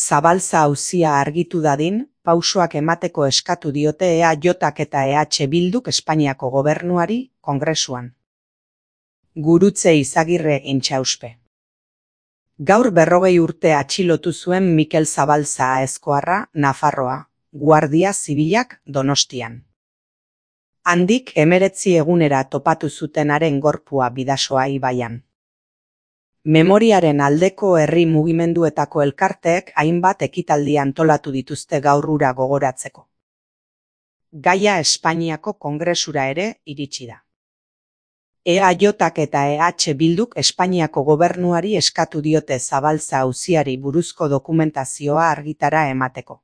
Zabalza auzia argitu dadin, pausoak emateko eskatu diote EAJak eta EH Bilduk Espainiako gobernuari, Kongresuan. Gurutze Izagirre intxauspe. Gaur 40 urte atxilotu zuen Mikel Zabalza Aezkoarra, Nafarroa, Guardia Zibilak Donostian. Handik 19 egunera topatu zutenaren gorpua Bidasoa ibaian. Memoriaren aldeko herri mugimenduetako elkarteek hainbat ekitaldi antolatu dituzte gaur hura gogoratzeko. Gaia Espainiako Kongresura ere iritsi da. EAJak eta EH Bilduk Espainiako gobernuari eskatu diote Zabalza auziari buruzko dokumentazioa argitara emateko.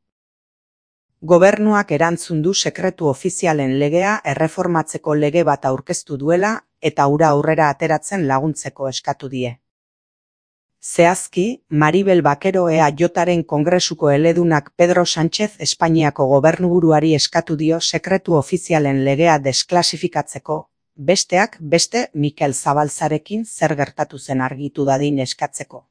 Gobernuak erantzun du sekretu ofizialen legea erreformatzeko lege bat aurkeztu duela eta hura aurrera ateratzen laguntzeko eskatu die. Zehazki, Maribel Bakero EAJaren Kongresuko eledunak Pedro Sánchez Espainiako gobernuburuari eskatu dio sekretu ofizialen legea desklasifikatzeko, besteak beste Mikel Zabalzarekin zer gertatu zen argitu dadin eskatzeko.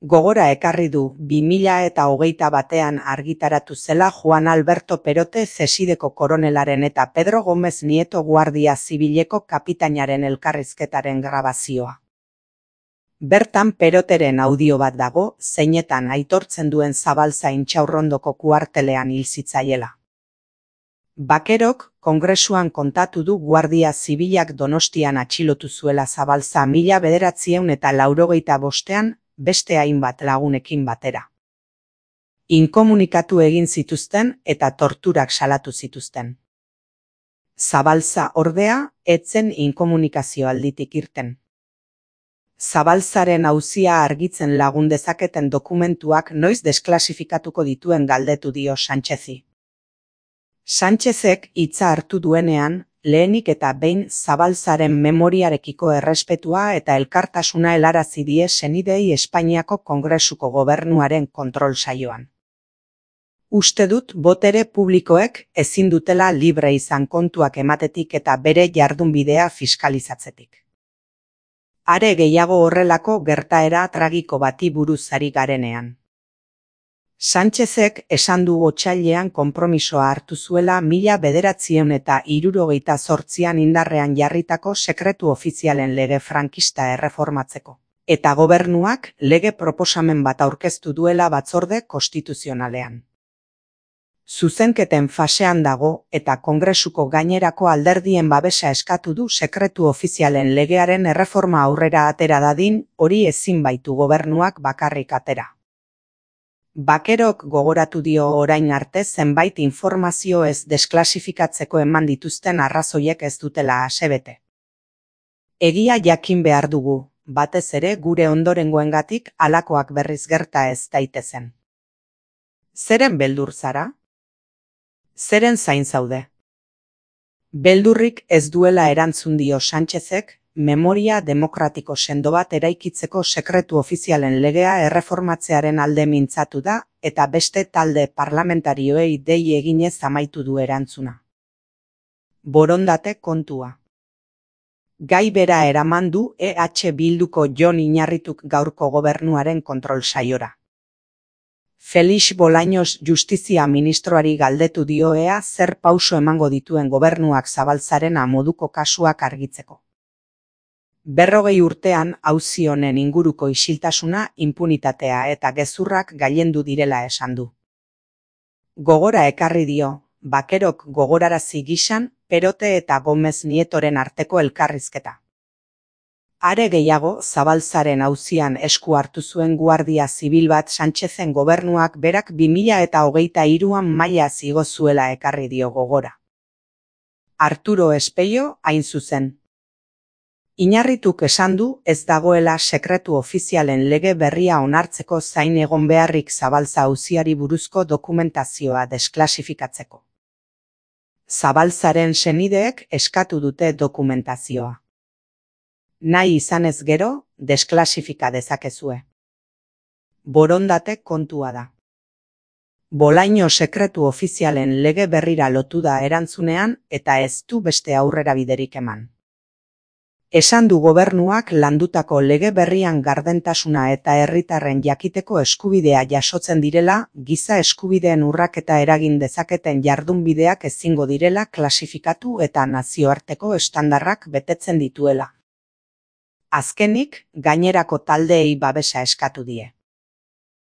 Gogora ekarri du 2021 argitaratu zela Juan Alberto Perote Zesideko koronelaren eta Pedro Gómez Nieto Guardia Zibileko kapitainaren elkarrizketaren grabazioa. Bertan Peroteren audio bat dago, zeinetan aitortzen duen Zabalza Intxaurrondoko kuartelean hil zitzaiela. Bakerok Kongresuan kontatu du Guardia Zibilak Donostian atxilotu zuela Zabalza 1985 beste hainbat lagunekin batera. Inkomunikatu egin zituzten eta torturak salatu zituzten. Zabalza ordea, ez zen inkomunikazio alditik irten. Zabalzaren auzia argitzen lagun dezaketen dokumentuak noiz desklasifikatuko dituen galdetu dio Sánchezi. Sánchezek hitza hartu duenean, lehenik eta behin Zabalzaren memoriarekiko errespetua eta elkartasuna helarazi die senidei Espainiako Kongresuko gobernuaren kontrol saioan. Uste dut botere publikoek ezin dutela libre izan kontuak ematetik eta bere jardunbidea fiskalizatzetik. Are gehiago horrelako gertaera tragiko bati buruz ari garenean. Sánchezek esan du otsailean konpromisoa hartu zuela 1978an indarrean jarritako sekretu ofizialen lege frankista erreformatzeko, eta gobernuak lege proposamen bat aurkeztu duela batzorde konstituzionalean. Zuzenketen fasean dago eta Kongresuko gainerako alderdien babesa eskatu du sekretu ofizialen legearen erreforma aurrera atera dadin, hori ezin baitu gobernuak bakarrik atera. Bakerok gogoratu dio orain arte zenbait informazio ez desklasifikatzeko eman dituzten arrazoiek ez dutela asebete. Egia jakin behar dugu, batez ere gure ondorengoengatik halakoak berriz gerta ez daitezen. Zeren beldur zara? Zeren zain zaude? Beldurrik ez duela erantzun dio Sánchezek, memoria demokratiko sendo bat eraikitzeko sekretu ofizialen legea erreformatzearen alde mintzatu da, eta beste talde parlamentarioei dei eginez amaitu du erantzuna. Borondate kontua. Gai bera eraman du EH Bilduko Jon Iñarrituk gaurko gobernuaren kontrol saiora. Felix Bolaños justizia ministroari galdetu dio ea zer pauso emango dituen gobernuak Zabalzaren moduko kasuak argitzeko. 40 urtean auzi honen inguruko isiltasuna, inpunitatea eta gezurrak gailendu direla esan du. Gogora ekarri dio, Bakerok gogorarazi gisan, Perote eta Gómez Nietoren arteko elkarrizketa. Are gehiago, Zabalzaren auzian esku hartu zuen Guardia Zibil bat Sánchezen gobernuak berak 2023an mailaz igo zuela ekarri dio gogora. Arturo Espejo, hain zuzen. Iñarrituk esan du ez dagoela sekretu ofizialen lege berria onartzeko zain egon beharrik Zabalza auziari buruzko dokumentazioa desklasifikatzeko. Zabalzaren senideek eskatu dute dokumentazioa. Nahi izanez gero, desklasifika dezakezue. Borondate kontua da. Bolaño sekretu ofizialen lege berrira lotu da erantzunean eta ez du beste aurrera biderik eman. Esan du gobernuak landutako lege berrian gardentasuna eta herritarren jakiteko eskubidea jasotzen direla, giza eskubideen urraketa eragin dezaketen jardunbideak ezingo direla klasifikatu eta nazioarteko estandarrak betetzen dituela. Azkenik, gainerako taldeei babesa eskatu die.